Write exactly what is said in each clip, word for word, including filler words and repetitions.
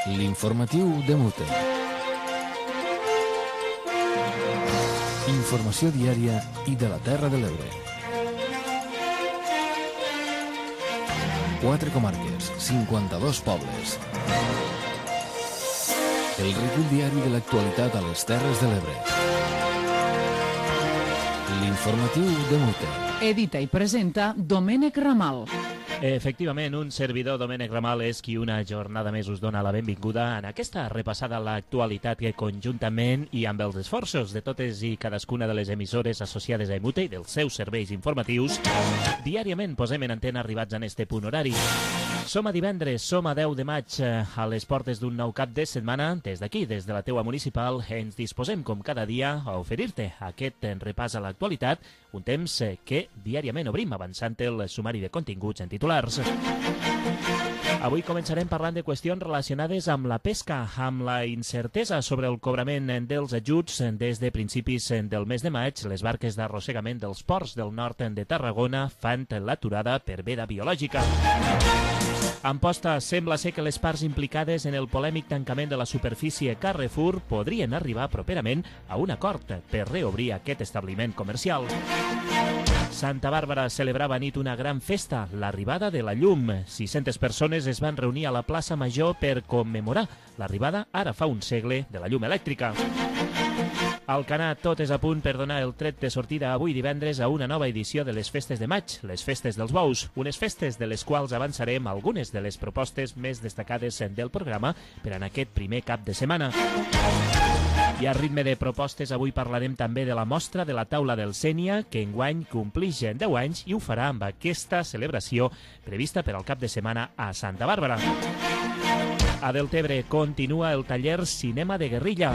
L'informatiu de Mute. Informació diària i de la Terra de l'Ebre. Quatre comarques, cinquanta-dos pobles. El recull diari de l'actualitat a les Terres de l'Ebre. L'informatiu de Mute. Edita i presenta Domènec Ramal. Efectivament, un servidor, Domènec Ramal, és qui una jornada més us dona la benvinguda en aquesta repassada a l'actualitat que conjuntament i amb els esforços de totes i cadascuna de les emissores associades a Emute i dels seus serveis informatius, diàriament posem en antena arribats en este punt horari. Som a divendres, som a deu de maig, a les portes d'un nou cap de setmana. Des d'aquí, des de la teua municipal, ens disposem, com cada dia, a oferir-te aquest repàs a l'actualitat, un temps que diàriament obrim avançant el sumari de continguts en titulars. Avui començarem parlant de qüestions relacionades amb la pesca, amb la incertesa sobre el cobrament dels ajuts. Des de principis del mes de maig, les barques d'arrossegament dels ports del nord de Tarragona fan l'aturada per veda biològica. Amposta, sembla ser que les parts implicades en el polèmic tancament de la superfície Carrefour podrien arribar properament a un acord per reobrir aquest establiment comercial. Santa Bàrbara celebrava a nit una gran festa, l'arribada de la llum. sis-centes persones es van reunir a la plaça Major per commemorar l'arribada, ara fa un segle, de la llum elèctrica. Al Canà, tot és a punt per donar el tret de sortida avui divendres a una nova edició de les Festes de Maig, les Festes dels Bous, unes festes de les quals avançarem algunes de les propostes més destacades del programa per en aquest primer cap de setmana. I a ritme de propostes, avui parlarem també de la mostra de la taula del Sénia, que enguany complix deu anys i ho farà amb aquesta celebració prevista per al cap de setmana a Santa Bàrbara. A Deltebre continua el taller Cinema de Guerrilla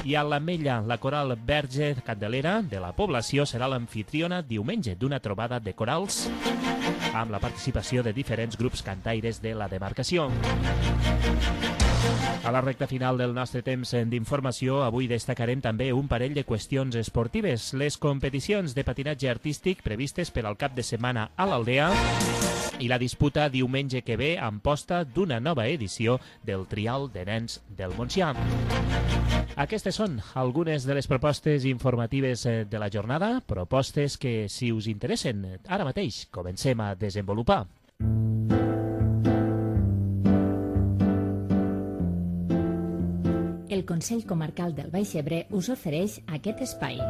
i a l'Ametlla, la coral Verge Candelera de la població serà l'amfitriona diumenge d'una trobada de corals amb la participació de diferents grups cantaires de la demarcació. A la recta final del nostre temps d'informació, avui destacarem també un parell de qüestions esportives. Les competicions de patinatge artístic previstes per al cap de setmana a l'Aldea i la disputa diumenge que ve amb posta d'una nova edició del Trial de Nens del Montsià. Aquestes són algunes de les propostes informatives de la jornada, propostes que, si us interessen, ara mateix comencem a desenvolupar. El Consell Comarcal del Baix Ebre us ofereix aquest espai.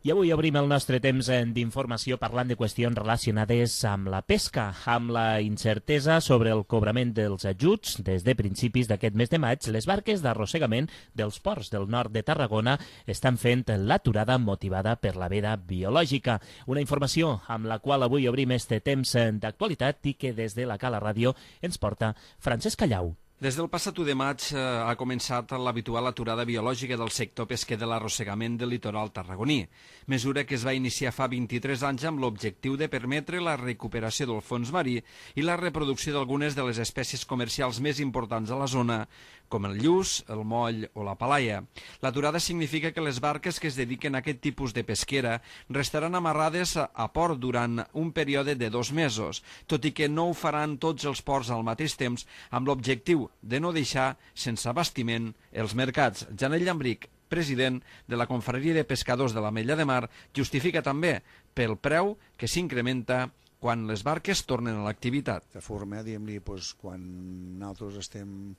I avui obrim el nostre temps d'informació parlant de qüestions relacionades amb la pesca, amb la incertesa sobre el cobrament dels ajuts. Des de principis d'aquest mes de maig, les barques d'arrossegament dels ports del nord de Tarragona estan fent l'aturada motivada per la veda biològica. Una informació amb la qual avui obrim este temps d'actualitat i que des de la Cala Ràdio ens porta Francesc Callau. Des del passat u de maig eh, ha començat l'habitual aturada biològica del sector pesquer de l'arrossegament del litoral tarragoní, mesura que es va iniciar fa vint-i-tres anys amb l'objectiu de permetre la recuperació del fons marí i la reproducció d'algunes de les espècies comercials més importants a la zona, com el lluç, el moll o la palaia. L'aturada significa que les barques que es dediquen a aquest tipus de pesquera restaran amarrades a port durant un període de dos mesos, tot i que no ho faran tots els ports al mateix temps amb l'objectiu de no deixar sense abastiment els mercats. Janel Llambric, president de la Confraria de Pescadors de l'Ametlla de Mar, justifica també pel preu que s'incrementa quan les barques tornen a l'activitat. De forma, diguem-li, doncs, quan nosaltres estem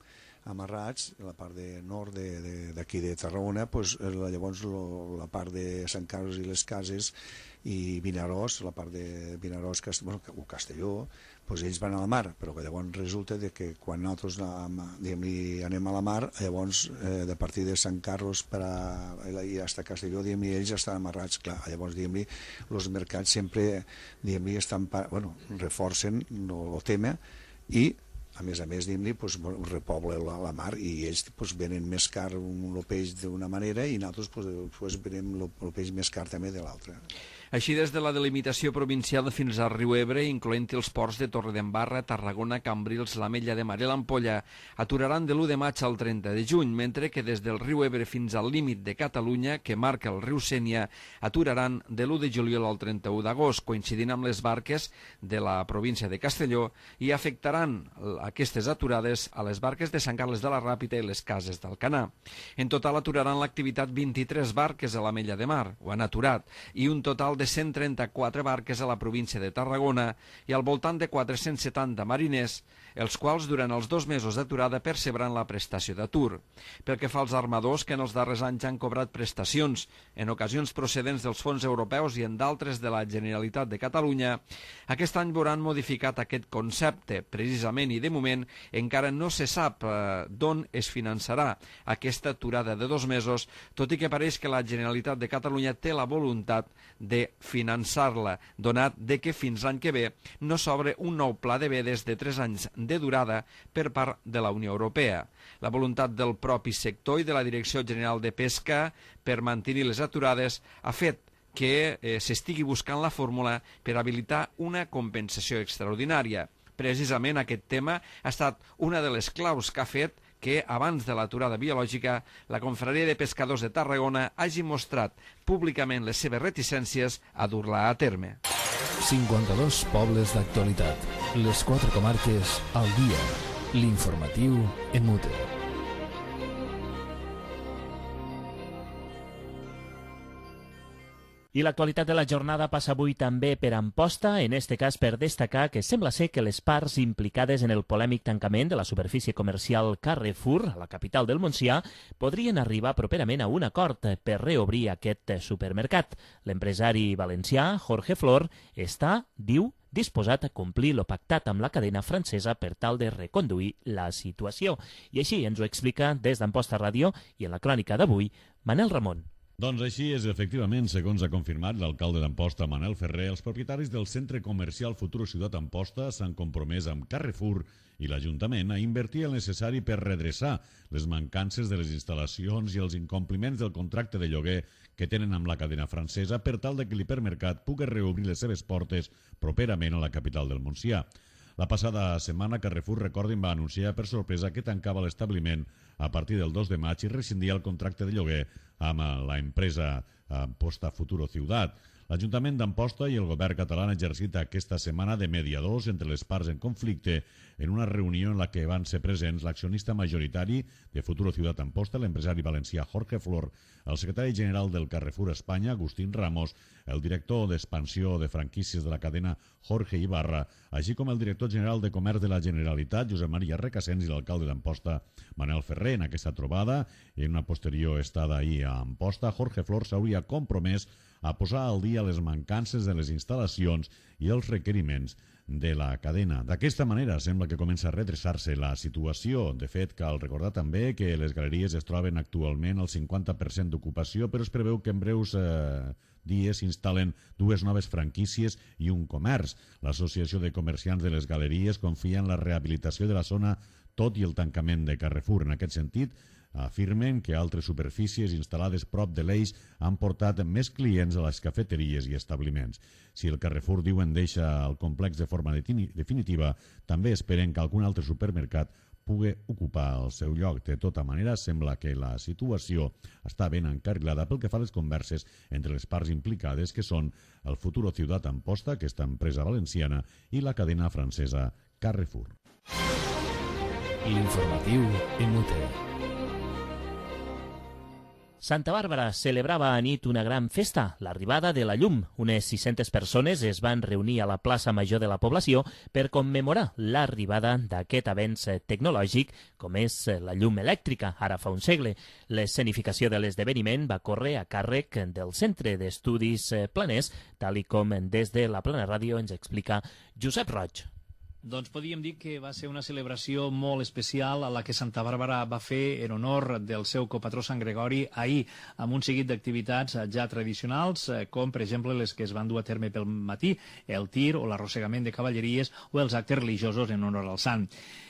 amarrats, la part de nord d'aquí de, de, de Tarragona, doncs, llavors lo, la part de Sant Carles i les Cases i Vinaròs, la part de Vinaròs bueno, o Castelló, doncs ells van a la mar, però que llavors resulta de que quan nosaltres anem a la mar, llavors eh, de partir de Sant Carles per a, i fins a Castelló, ells estan amarrats, clar, llavors els mercats sempre estan, bueno, reforcen el tema i a més a més, diguem-li, pues, repobla la, la mar i ells pues, venen més car el peix d'una manera i nosaltres pues, pues, venem el peix més car també de l'altra. Així, des de la delimitació provincial fins al riu Ebre, incloent-hi els ports de Torredembarra, Tarragona, Cambrils, l'Ametlla de Mar i l'Ampolla, aturaran de l'u de maig al trenta de juny, mentre que des del riu Ebre fins al límit de Catalunya, que marca el riu Sénia, aturaran de l'u de juliol al trenta-u d'agost, coincidint amb les barques de la província de Castelló, i afectaran aquestes aturades a les barques de Sant Carles de la Ràpita i les cases d'Alcanar. En total aturaran l'activitat vint-i-tres barques a l'Ametlla de Mar, ho han aturat, i un total de de cent trenta-quatre barques a la província de Tarragona i al voltant de quatre-cents setanta mariners, els quals durant els dos mesos d'aturada percebran la prestació d'atur. Pel que fa als armadors, que en els darrers anys han cobrat prestacions, en ocasions procedents dels fons europeus i en d'altres de la Generalitat de Catalunya, aquest any veuran modificat aquest concepte, precisament, i de moment encara no se sap eh, d'on es finançarà aquesta aturada de dos mesos, tot i que pareix que la Generalitat de Catalunya té la voluntat de finançar-la, donat de que fins l'any que ve no s'obre un nou pla de vedes de tres anys de durada per part de la Unió Europea. La voluntat del propi sector i de la Direcció General de Pesca per mantenir les aturades ha fet que eh, s'estigui buscant la fórmula per habilitar una compensació extraordinària. Precisament aquest tema ha estat una de les claus que ha fet que abans de l'aturada biològica la Confraria de Pescadors de Tarragona hagi mostrat públicament les seves reticències a dur-la a terme. cinquanta-dos pobles d'actualitat. Les quatre comarques al dia. L'informatiu en mute. I l'actualitat de la jornada passa avui també per Amposta, en este cas per destacar que sembla ser que les parts implicades en el polèmic tancament de la superfície comercial Carrefour, a la capital del Montsià, podrien arribar properament a un acord per reobrir aquest supermercat. L'empresari valencià, Jorge Flor, està, diu, disposat a complir lo pactat amb la cadena francesa per tal de reconduir la situació. I així ens ho explica des d'Amposta Ràdio i en la crònica d'avui, Manel Ramon. Doncs així és, efectivament, segons ha confirmat l'alcalde d'Amposta, Manel Ferrer, els propietaris del centre comercial Futuro Ciutat Amposta s'han compromès amb Carrefour i l'Ajuntament a invertir el necessari per redreçar les mancances de les instal·lacions i els incompliments del contracte de lloguer que tenen amb la cadena francesa per tal de que l'hipermercat pugui reobrir les seves portes properament a la capital del Montsià. La passada setmana, Carrefour, recordin, va anunciar per sorpresa que tancava l'establiment a partir del dos de maig i rescindia el contracte de lloguer amb la empresa Amposta Futuro Ciutat. L'Ajuntament d'Amposta i el govern català han exercit aquesta setmana de mediadors entre les parts en conflicte en una reunió en la que van ser presents l'accionista majoritari de Futuro Ciutat Amposta, l'empresari valencià Jorge Flor, el secretari general del Carrefour Espanya, Agustín Ramos, el director d'expansió de franquícies de la cadena Jorge Ibarra, així com el director general de Comerç de la Generalitat, Josep Maria Recasens, i l'alcalde d'Amposta, Manel Ferrer. En aquesta trobada, en una posterior estada ahir a Amposta, Jorge Flor s'hauria compromès a posar al dia les mancances de les instal·lacions i els requeriments de la cadena. D'aquesta manera sembla que comença a redreçar-se la situació. De fet, cal recordar també que les galeries es troben actualment al cinquanta per cent d'ocupació, però es preveu que en breus eh, dies s'instal·len dues noves franquícies i un comerç. L'Associació de Comerciants de les Galeries confia en la rehabilitació de la zona tot i el tancament de Carrefour. En aquest sentit, afirmen que altres superfícies instal·lades prop de l'eix han portat més clients a les cafeteries i establiments. Si el Carrefour, diuen, deixa el complex de forma definitiva, també esperen que algun altre supermercat pugui ocupar el seu lloc. De tota manera, sembla que la situació està ben encarrilada pel que fa a les converses entre les parts implicades, que són el Futuro Ciutat Amposta, aquesta empresa valenciana, i la cadena francesa Carrefour. L'informatiu en mute. Santa Bàrbara celebrava a nit una gran festa, l'arribada de la llum. Unes sis-centes persones es van reunir a la plaça major de la població per commemorar l'arribada d'aquest avenç tecnològic com és la llum elèctrica, ara fa un segle. L'escenificació de l'esdeveniment va córrer a càrrec del Centre d'Estudis Planers, tal i com des de la Plana Ràdio ens explica Josep Roig. Doncs podríem dir que va ser una celebració molt especial a la que Santa Bàrbara va fer en honor del seu copatró Sant Gregori ahir, amb un seguit d'activitats ja tradicionals, com per exemple les que es van dur a terme pel matí, el tir o l'arrossegament de cavalleries o els actes religiosos en honor al sant.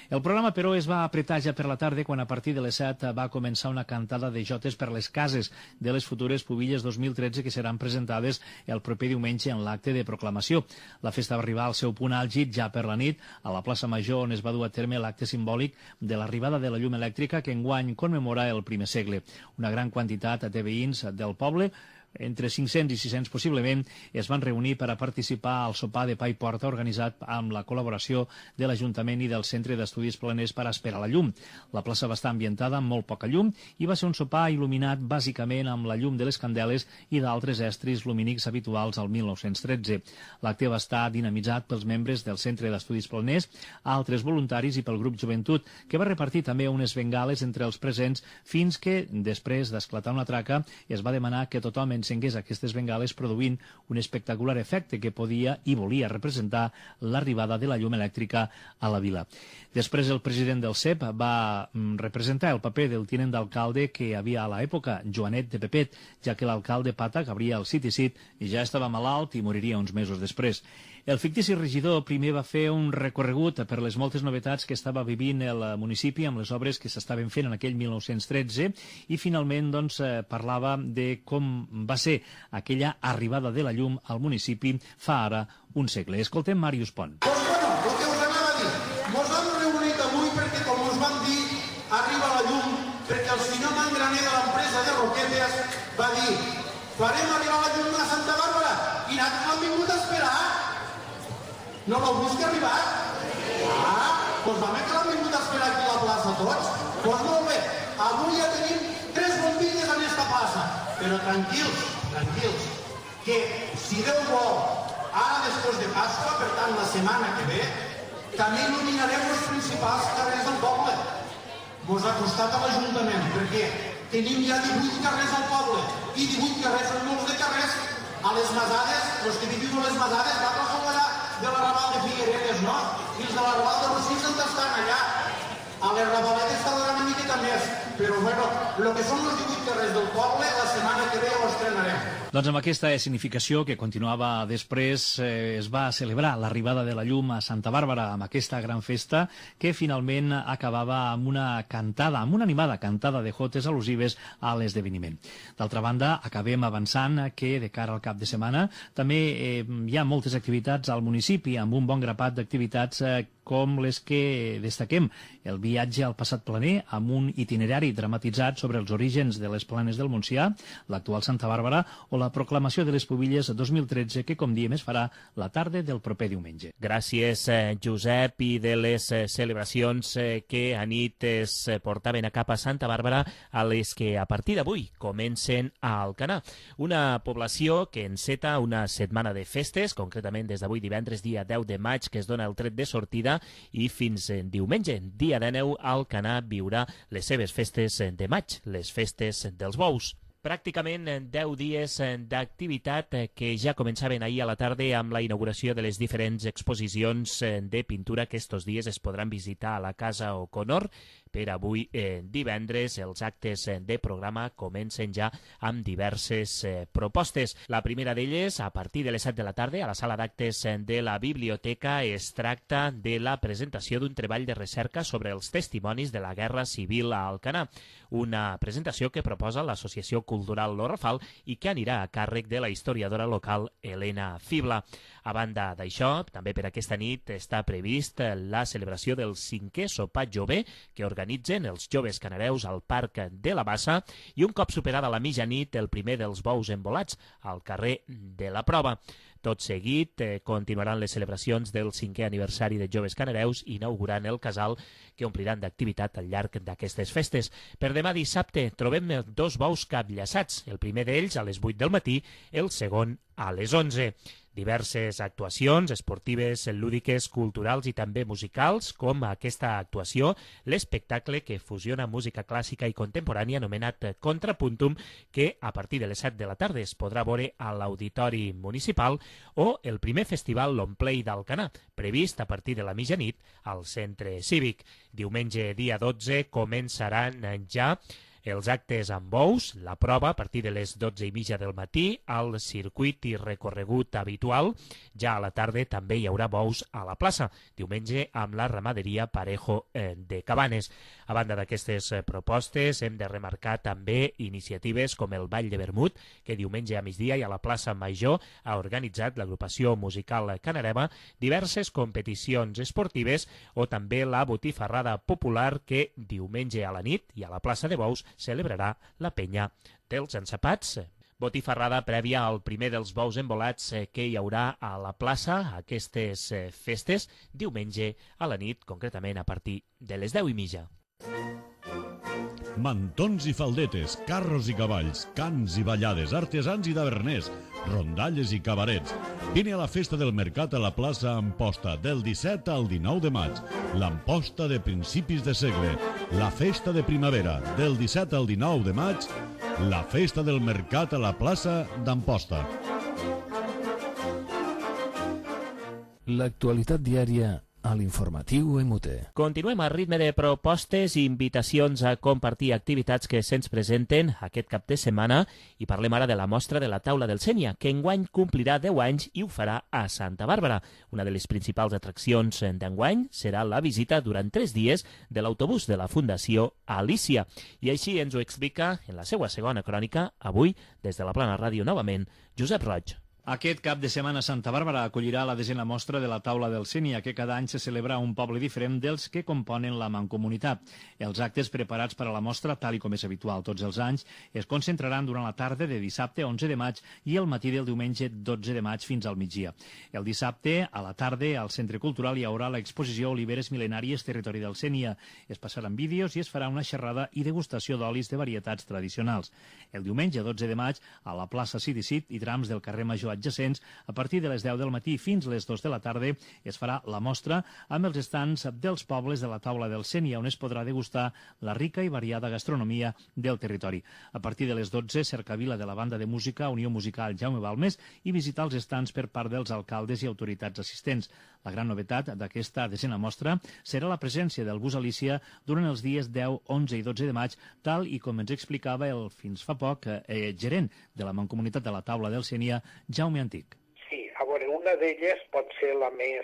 El programa, però, es va apretar ja per la tarda quan a partir de les set va començar una cantada de jotes per les cases de les futures pubilles dos mil tretze que seran presentades el proper diumenge en l'acte de proclamació. La festa va arribar al seu punt àlgid ja per la nit a la plaça Major, on es va dur a terme l'acte simbòlic de l'arribada de la llum elèctrica que enguany commemora el primer segle. Una gran quantitat de veïns del poble, entre cinc-cents i sis-cents possiblement, es van reunir per a participar al sopar de pa i porta organitzat amb la col·laboració de l'Ajuntament i del Centre d'Estudis Planers per a esperar la llum. La plaça va estar ambientada amb molt poca llum i va ser un sopar il·luminat bàsicament amb la llum de les candeles i d'altres estris lumínics habituals al mil nou-cents tretze. L'acte va estar dinamitzat pels membres del Centre d'Estudis Planers, altres voluntaris i pel grup Joventut, que va repartir també unes bengales entre els presents fins que, després d'esclatar una traca, es va demanar que tothom encengués aquestes bengales produint un espectacular efecte que podia i volia representar l'arribada de la llum elèctrica a la vila. Després el president del C E P va representar el paper del tinent d'alcalde que hi havia a l'època, Joanet de Pepet, ja que l'alcalde Pata, Gabriel Citisit, ja estava malalt i moriria uns mesos després. El fictici regidor primer va fer un recorregut per les moltes novetats que estava vivint el municipi amb les obres que s'estaven fent en aquell mil nou-cents tretze i finalment doncs, parlava de com va ser aquella arribada de la llum al municipi fa ara un segle. Escoltem Màrius Pont. Doncs bueno, el que us anava a dir, mos hem reunit avui perquè, com us vam dir, arriba la llum, perquè el senyor Mangraner de l'empresa de Roquetes va dir farem arribar la llum a Santa Bàrbara i nosaltres l'hem vingut a esperar. No l'heu vist que ha arribat? Ah, doncs va bé que l'hem vingut a esperar aquí a la plaça tots. Doncs molt bé, avui ja tenim tres bombilles en esta plaça. Però tranquils, tranquils, que si Déu vol, ara després de Pasqua, per tant la setmana que ve, també il·luminarem els principals carrers del poble. Mos ha costat a l'Ajuntament, perquè tenim ja divuit carrers al poble, i divuit carrers són molts de carrers. A les Masades, els que viviu a les Masades, va passar allà de la Raval de Figueredes, no? I els de la Raval de Rossins on estan allà. A les Ravaletes tardarà una miqueta més. Però, bueno, el que són els divuit carrers del poble, la setmana que ve ho estrenarem. Doncs amb aquesta significació que continuava després, eh, es va celebrar l'arribada de la llum a Santa Bàrbara amb aquesta gran festa que finalment acabava amb una cantada, amb una animada cantada de jotes al·lusives a l'esdeveniment. D'altra banda, acabem avançant que de cara al cap de setmana també eh, hi ha moltes activitats al municipi amb un bon grapat d'activitats eh, com les que destaquem. El viatge al passat planer amb un itinerari dramatitzat sobre els orígens de les planes del Montsià, l'actual Santa Bàrbara, o la proclamació de les pubilles dos mil tretze, que, com diem, es farà la tarda del proper diumenge. Gràcies, eh, Josep, i de les eh, celebracions eh, que a nit es portaven a cap a Santa Bàrbara, a les que a partir d'avui comencen a Alcanar. Una població que enceta una setmana de festes, concretament des d'avui divendres, dia deu de maig, que es dona el tret de sortida, i fins en diumenge, dia dinou, Alcanar viurà les seves festes de maig, les festes dels bous. Pràcticament deu dies d'activitat que ja començaven ahir a la tarda amb la inauguració de les diferents exposicions de pintura que estos dies es podran visitar a la Casa O'Connor. Per avui, eh, divendres, els actes de programa comencen ja amb diverses eh, propostes. La primera d'elles, a partir de les set de la tarda, a la sala d'actes de la biblioteca, es tracta de la presentació d'un treball de recerca sobre els testimonis de la Guerra Civil a Alcanar. Una presentació que proposa l'Associació Cultural Lo Rafal i que anirà a càrrec de la historiadora local Helena Fibla. A banda d'això, també per aquesta nit està previst la celebració del cinquè sopar jove que organitzen els joves canareus al Parc de la Bassa i un cop superada la mitjanit el primer dels bous envolats al carrer de la Prova. Tot seguit eh, continuaran les celebracions del cinquè aniversari de Joves Canareus inaugurant el casal que ompliran d'activitat al llarg d'aquestes festes. Per demà dissabte trobem dos bous capllaçats, el primer d'ells a les vuit del matí, el segon a les onze. Diverses actuacions esportives, lúdiques, culturals i també musicals, com aquesta actuació, l'espectacle que fusiona música clàssica i contemporània anomenat Contrapuntum, que a partir de les set de la tarda es podrà veure a l'Auditori Municipal, o el primer festival Longplay d'Alcanar, previst a partir de la mitjanit al Centre Cívic. Diumenge, dia dotze, començaran ja Els actes amb bous, la prova a partir de les dotze i mitja del matí, al circuit i recorregut habitual. Ja a la tarda també hi haurà bous a la plaça, diumenge amb la ramaderia Parejo de Cabanes. A banda d'aquestes propostes, hem de remarcar també iniciatives com el Ball de Vermut, que diumenge a migdia i a la plaça Major ha organitzat l'agrupació musical Canarema, diverses competicions esportives o també la botifarrada popular que diumenge a la nit i a la plaça de Bous celebrarà la penya dels ensapats. Botifarrada prèvia al primer dels bous embolats que hi haurà a la plaça aquestes festes diumenge a la nit, concretament a partir de les deu i mitja. Mantons i faldetes, carros i cavalls, cants i ballades, artesans i daverners, rondalles i cabarets. Vine a la festa del mercat a la plaça Amposta del disset al dinou de maig. L'Amposta de principis de segle. La festa de primavera del disset al dinou de maig. La festa del mercat a la plaça d'Amposta. L'actualitat diària a l'informatiu M U T. Continuem a ritme de propostes i invitacions a compartir activitats que se'ns presenten aquest cap de setmana i parlem ara de la mostra de la taula del Sénia, que enguany complirà deu anys i ho farà a Santa Bàrbara. Una de les principals atraccions d'enguany serà la visita durant tres dies de l'autobús de la Fundació Alícia. I així ens ho explica en la seva segona crònica, avui, des de la Plana Ràdio novament, Josep Roig. Aquest cap de setmana Santa Bàrbara acollirà la desena mostra de la taula del Sénia, que cada any se celebra a un poble diferent dels que componen la mancomunitat. Els actes preparats per a la mostra, tal i com és habitual tots els anys, es concentraran durant la tarda de dissabte onze de maig i el matí del diumenge dotze de maig fins al migdia. El dissabte, a la tarda, al Centre Cultural hi haurà l'exposició Oliveres Mil·lenàries, Territori del Sénia. Es passaran vídeos i es farà una xerrada i degustació d'olis de varietats tradicionals. El diumenge dotze de maig, a la plaça Sidicit i trams del carrer Major adjacents, a partir de les deu del matí fins les dues de la tarda es farà la mostra amb els estants dels pobles de la taula del Sénia, on es podrà degustar la rica i variada gastronomia del territori. A partir de les dotze, cercavila de la banda de música Unió Musical Jaume Balmes i visitar els estants per part dels alcaldes i autoritats assistents. La gran novetat d'aquesta desena mostra serà la presència del bus Alícia durant els dies deu, onze i dotze de maig, tal i com ens explicava el fins fa poc eh, gerent de la Mancomunitat de la taula del Sénia, Jaume Antic. Sí, a veure, una d'elles pot ser la més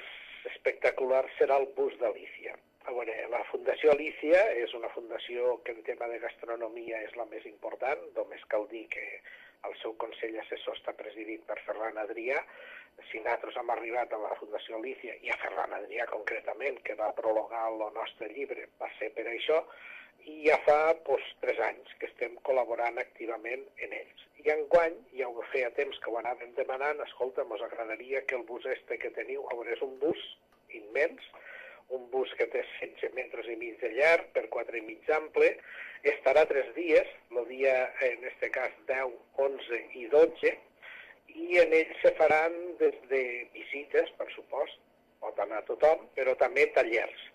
espectacular, serà el bus d'Alícia. A veure, la Fundació Alícia és una fundació que en tema de gastronomia és la més important, només cal dir que el seu Consell Assessor està presidit per Ferran Adrià. Si nosaltres hem arribat a la Fundació Alícia i a Ferran Adrià concretament, que va prologar el nostre llibre, va ser per això, i ja fa doncs, tres anys que estem col·laborant activament en ells. I enguany, ja ho feia temps que ho anàvem demanant, escolta, mos agradaria que el bus este que teniu, a veure, és un bus immens, un bus que té setze metres i mig de llarg per quatre i mig d'ample, estarà tres dies, el dia, en este cas, deu, onze i dotze, i en ell se faran des de visites, per supost, pot anar tothom, però també tallers.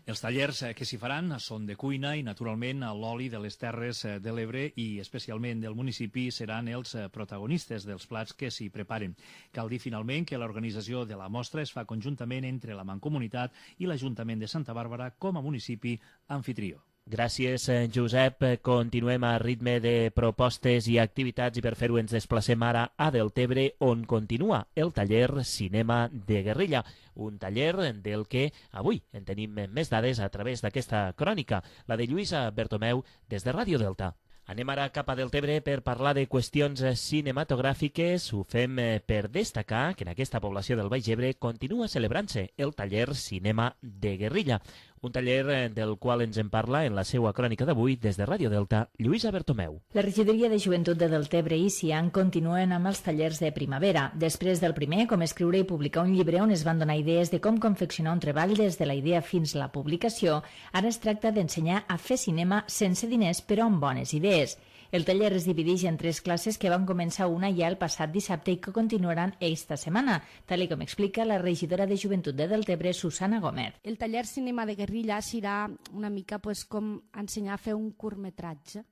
Els tallers que s'hi faran són de cuina i, naturalment, l'oli de les Terres de l'Ebre i, especialment, del municipi seran els protagonistes dels plats que s'hi preparen. Cal dir, finalment, que l'organització de la mostra es fa conjuntament entre la Mancomunitat i l'Ajuntament de Santa Bàrbara com a municipi anfitrió. Gràcies, Josep. Continuem a ritme de propostes i activitats i per fer-ho ens desplacem ara a Deltebre, on continua el taller Cinema de Guerrilla, un taller del que avui en tenim més dades a través d'aquesta crònica, la de Lluïsa Bertomeu des de Ràdio Delta. Anem ara cap a Deltebre per parlar de qüestions cinematogràfiques. Ho fem per destacar que en aquesta població del Baix Ebre continua celebrant-se el taller Cinema de Guerrilla, un taller del qual ens en parla en la seva crònica d'avui des de Ràdio Delta, Lluïsa Bertomeu. La regidoria de joventut de Deltebre i Cian continuen amb els tallers de primavera. Després del primer, com escriure i publicar un llibre on es van donar idees de com confeccionar un treball des de la idea fins a la publicació, ara es tracta d'ensenyar a fer cinema sense diners però amb bones idees. El taller es divideix en tres classes que van començar una ja el passat dissabte i que continuaran esta setmana, tal com explica la regidora de Joventut de Deltebre, Susana Gómez. El taller Cinema de Guerrilla serà una mica pues, com ensenyar a fer un curtmetratge.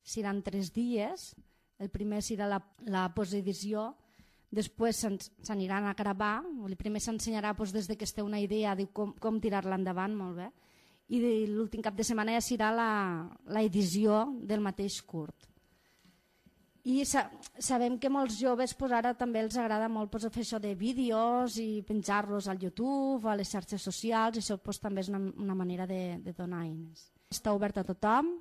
Seran tres dies, el primer serà la, la postedició, després s'aniran a gravar, el primer s'ensenyarà pues, des de que es té una idea de com, com tirar-la endavant, molt bé, i l'últim cap de setmana ja serà l'edició del mateix curt. I sa sabem que molts joves pues, ara també els agrada molt pues, fer això de vídeos i penjar-los al YouTube, a les xarxes socials, i això pues, també és una, una manera de, de donar eines. Està obert a tothom,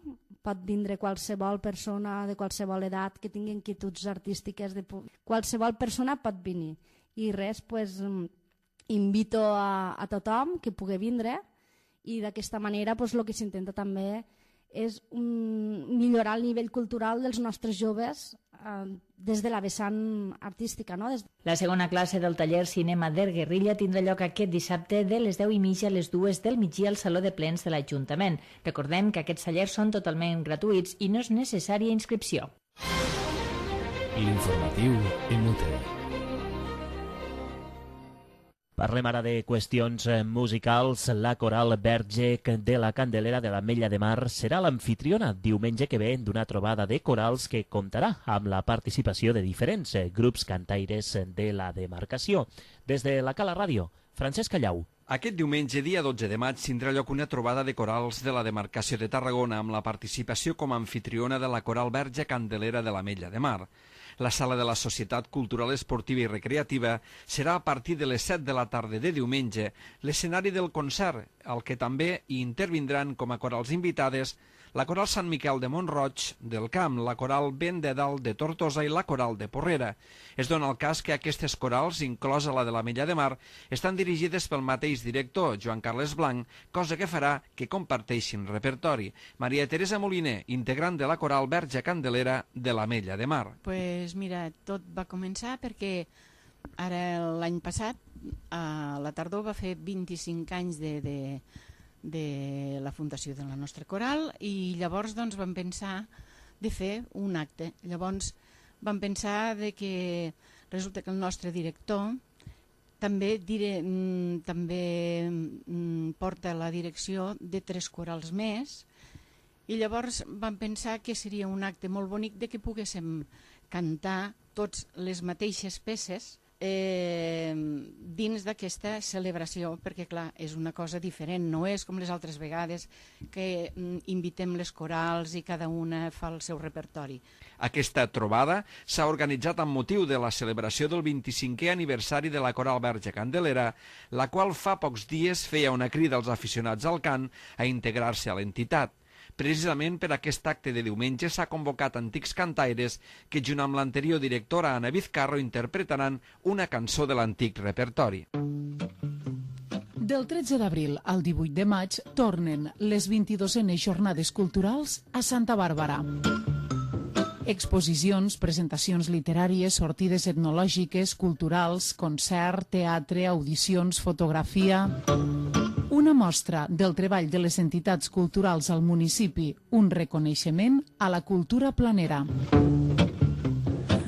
pot vindre qualsevol persona de qualsevol edat que tingui inquietuds artístiques, de qualsevol persona pot venir. I res, pues, invito a, a tothom que pugui vindre, i d'aquesta manera pues, el que s'intenta també és um, millorar el nivell cultural dels nostres joves eh, des de la vessant artística. No? Des... La segona classe del taller Cinema der Guerrilla tindrà lloc aquest dissabte de les deu i mitja a les dues del migdia al Saló de Plens de l'Ajuntament. Recordem que aquests tallers són totalment gratuïts i no és necessària inscripció. L'informatiu Emute. Parlem ara de qüestions musicals. La coral Verge de la Candelera de l'Ametlla de Mar serà l'amfitriona diumenge que ve d'una trobada de corals que comptarà amb la participació de diferents grups cantaires de la demarcació. Des de la Cala Ràdio, Francesc Callau. Aquest diumenge, dia dotze de maig, tindrà lloc una trobada de corals de la demarcació de Tarragona amb la participació com a amfitriona de la coral Verge Candelera de l'Ametlla de Mar. La sala de la Societat Cultural Esportiva i Recreativa serà a partir de les set de la tarda de diumenge l'escenari del concert, al que també hi intervindran com a corals invitades la coral Sant Miquel de Mont-roig del Camp, la coral Vent de Dalt de Tortosa i la coral de Porrera. Es dona el cas que aquestes corals, inclosa la de l'Ametlla de Mar, estan dirigides pel mateix director, Joan Carles Blanc, cosa que farà que comparteixin repertori. Maria Teresa Moliner, integrant de la coral Verge Candelera de l'Ametlla de Mar. Pues mira, tot va començar perquè ara l'any passat, a la tardor, va fer vint-i-cinc anys de... de de la fundació de la nostra coral i llavors doncs vam pensar de fer un acte. Llavors vam pensar de que resulta que el nostre director també, dire, també porta la direcció de tres corals més i llavors vam pensar que seria un acte molt bonic de que poguéssim cantar tots les mateixes peces Eh, dins d'aquesta celebració, perquè clar, és una cosa diferent, no és com les altres vegades que mm, invitem les corals i cada una fa el seu repertori. Aquesta trobada s'ha organitzat amb motiu de la celebració del vint-i-cinquè aniversari de la coral Verge Candelera, la qual fa pocs dies feia una crida als aficionats al cant a integrar-se a l'entitat. Precisament per aquest acte de diumenge s'ha convocat antics cantaires que, junt amb l'anterior directora Ana Vizcarro, interpretaran una cançó de l'antic repertori. Del tretze d'abril al divuit de maig tornen les vint-i-dosenes jornades culturals a Santa Bàrbara. Exposicions, presentacions literàries, sortides etnològiques, culturals, concert, teatre, audicions, fotografia... Una mostra del treball de les entitats culturals al municipi, un reconeixement a la cultura planera.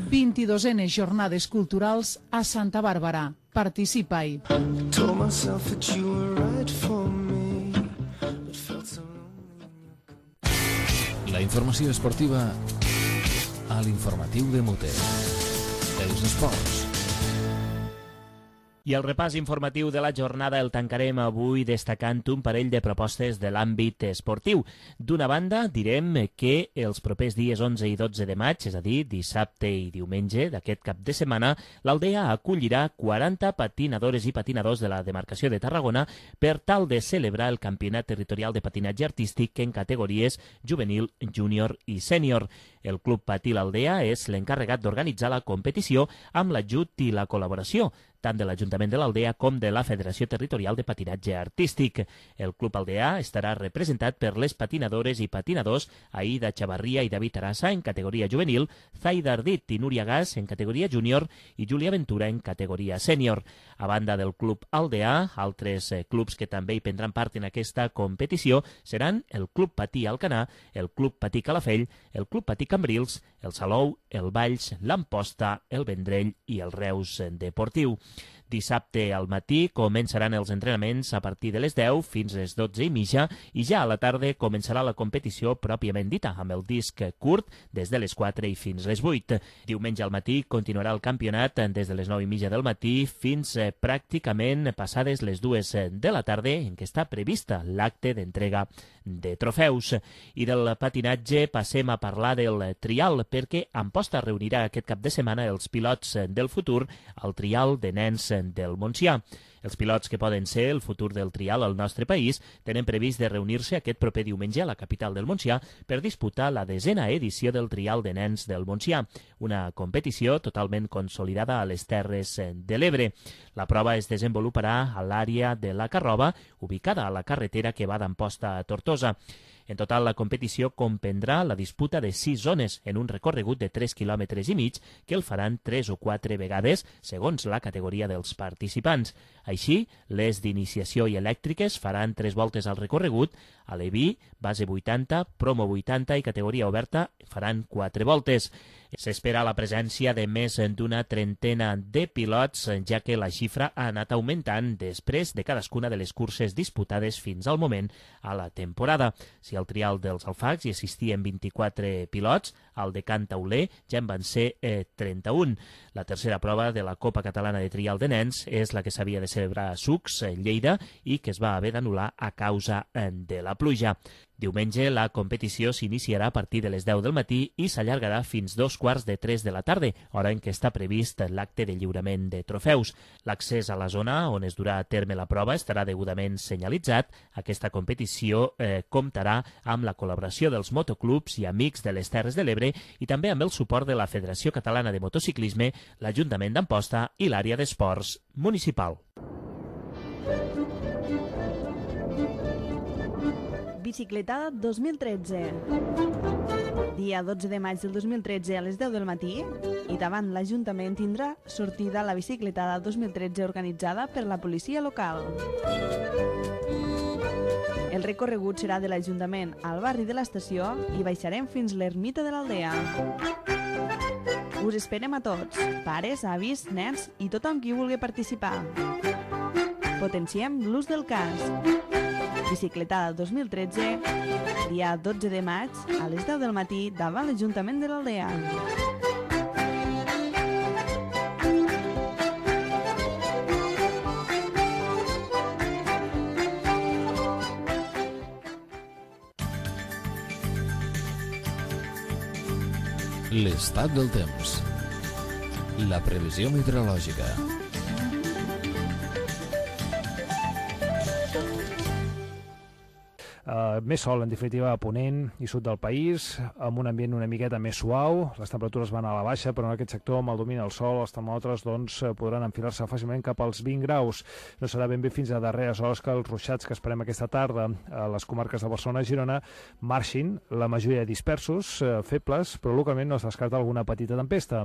vint-i-dosenes jornades culturals a Santa Bàrbara. Participa-hi. La informació esportiva a l'informatiu de Mute. Els esports. I el repàs informatiu de la jornada el tancarem avui destacant un parell de propostes de l'àmbit esportiu. D'una banda, direm que els propers dies onze i dotze de maig, és a dir, dissabte i diumenge d'aquest cap de setmana, l'Aldea acollirà quaranta patinadores i patinadors de la demarcació de Tarragona per tal de celebrar el Campionat Territorial de Patinatge Artístic en categories juvenil, júnior i sènior. El Club Patí l'Aldea és l'encarregat d'organitzar la competició amb l'ajut i la col·laboració tant de l'Ajuntament de l'Aldea com de la Federació Territorial de Patinatge Artístic. El Club Aldea estarà representat per les patinadores i patinadors Aida Chavarria i David Arassa en categoria juvenil, Zaida Ardit i Núria Gas en categoria júnior i Júlia Ventura en categoria sènior. A banda del Club Aldea, altres clubs que també hi prendran part en aquesta competició seran el Club Patí Alcanar, el Club Patí Calafell, el Club Patí Cambrils, el Salou, el Valls, l'Amposta, el Vendrell i el Reus Deportiu. Dissabte al matí començaran els entrenaments a partir de les deu fins les dotze i mitja i ja a la tarda començarà la competició pròpiament dita, amb el disc curt des de les quatre i fins les vuit. Diumenge al matí continuarà el campionat des de les nou i mitja del matí fins pràcticament passades les dues de la tarda, en què està prevista l'acte d'entrega de trofeus. I del patinatge passem a parlar del trial, perquè Amposta reunirà aquest cap de setmana els pilots del futur al trial de nens del Montsià. Els pilots que poden ser el futur del trial al nostre país tenen previst de reunir-se aquest proper diumenge a la capital del Montsià per disputar la desena edició del trial de nens del Montsià, una competició totalment consolidada a les Terres de l'Ebre. La prova es desenvoluparà a l'àrea de la Carroba, ubicada a la carretera que va d'Amposta a Tortosa. En total, la competició comprendrà la disputa de sis zones en un recorregut de tres quilòmetres i mig que el faran tres o quatre vegades segons la categoria dels participants. Així, les d'iniciació i elèctriques faran tres voltes al recorregut, a l'E-V I, base vuitanta, promo vuitanta i categoria oberta faran quatre voltes. S'espera la presència de més d'una trentena de pilots, ja que la xifra ha anat augmentant després de cadascuna de les curses disputades fins al moment a la temporada. Si al trial dels Alfacs hi assistien vint-i-quatre pilots, al de Can Tauler ja en van ser eh, trenta-un. La tercera prova de la Copa Catalana de Trial de Nens és la que s'havia de celebrar a Sucs, Lleida, i que es va haver d'anul·lar a causa de la pluja. Diumenge la competició s'iniciarà a partir de les deu del matí i s'allargarà fins dos quarts de tres de la tarda, hora en què està previst l'acte de lliurament de trofeus. L'accés a la zona on es durà a terme la prova estarà degudament senyalitzat. Aquesta competició eh, comptarà amb la col·laboració dels motoclubs i amics de les Terres de l'Ebre i també amb el suport de la Federació Catalana de Motociclisme, l'Ajuntament d'Amposta i l'àrea d'esports municipal. Bicicletada dos mil tretze. Dia dotze de maig del dos mil tretze a les deu del matí i davant l'Ajuntament tindrà sortida la bicicletada dos mil tretze organitzada per la policia local. El recorregut serà de l'Ajuntament al barri de l'estació i baixarem fins l'ermita de l'Aldea. Us esperem a tots, pares, avis, nens i tothom qui vulgui participar. Potenciem l'ús del casc. Bicicletada dos mil tretze, dia dotze de maig, a les deu del matí, davant l'Ajuntament de l'Aldea. L'estat del temps. La previsió meteorològica. Uh, més sol, en definitiva, a Ponent i sud del país, amb un ambient una miqueta més suau. Les temperatures van a la baixa, però en aquest sector, amb el domini del sol, els termòmetres doncs, podran enfilar-se fàcilment cap als vint graus. No serà ben bé fins a darreres hores que els ruixats que esperem aquesta tarda a les comarques de Barcelona i Girona marxin, la majoria dispersos, uh, febles, però localment no es descarta alguna petita tempesta.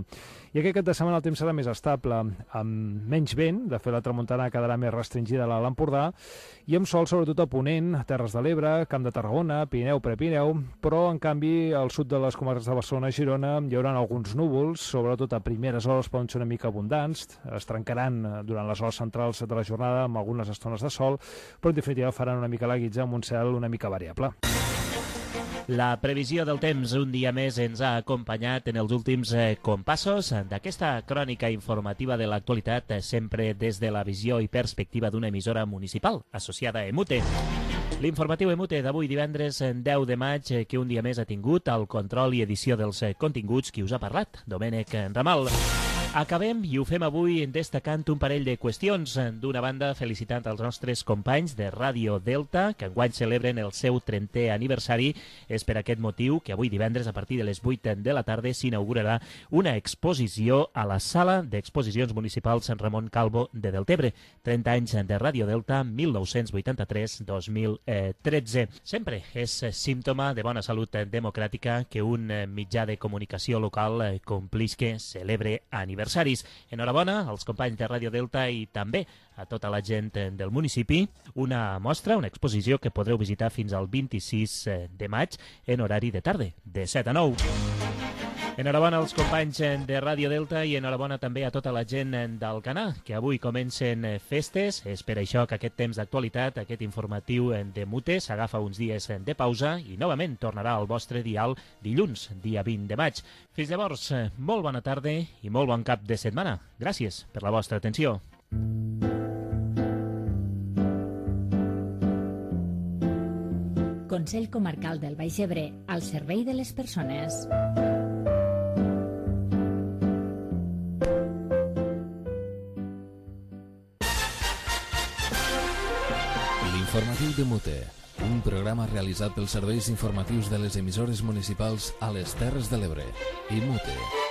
I aquest cap de setmana el temps serà més estable, amb menys vent. De fet, la tramuntana quedarà més restringida a l'Empordà i amb sol, sobretot a Ponent, Terres de l'Ebre, Camp de Tarragona, Pirineu, Prepirineu, però en canvi al sud de les comarques de Barcelona i Girona hi haurà alguns núvols, sobretot a primeres hores poden ser una mica abundants, es trencaran durant les hores centrals de la jornada amb algunes estones de sol, però en definitiva faran una mica la guitza amb un cel una mica variable. La previsió del temps un dia més ens ha acompanyat en els últims eh, compassos d'aquesta crònica informativa de l'actualitat, eh, sempre des de la visió i perspectiva d'una emissora municipal associada a EMUTE. L'informatiu EMUTE d'avui divendres deu de maig, eh, que un dia més ha tingut el control i edició dels eh, continguts qui us ha parlat, Domènec Ramal. Acabem i ho fem avui destacant un parell de qüestions. D'una banda, felicitant els nostres companys de Ràdio Delta, que enguany celebren el seu trentè aniversari. És per aquest motiu que avui divendres, a partir de les vuit de la tarda, s'inaugurarà una exposició a la Sala d'Exposicions Municipals Sant Ramon Calvo de Deltebre. trenta anys de Ràdio Delta, mil nou-cents vuitanta-tres a dos mil tretze. Sempre és símptoma de bona salut democràtica que un mitjà de comunicació local complisque celebre aniversaris. Enhorabona als companys de Ràdio Delta i també a tota la gent del municipi. Una mostra, una exposició que podreu visitar fins al vint-i-sis de maig en horari de tarda, de set a nou. Enhorabona als companys de Ràdio Delta i enhorabona també a tota la gent del Canà, que avui comencen festes. És per això que aquest temps d'actualitat, aquest informatiu de Mute, s'agafa uns dies de pausa i novament tornarà al vostre dial dilluns, dia vint de maig. Fins llavors, molt bona tarda i molt bon cap de setmana. Gràcies per la vostra atenció. Consell Comarcal del Baix Ebre, al servei de les persones. L'informatiu de Mute, un programa realitzat pels serveis informatius de les emissores municipals a les Terres de l'Ebre i Mute.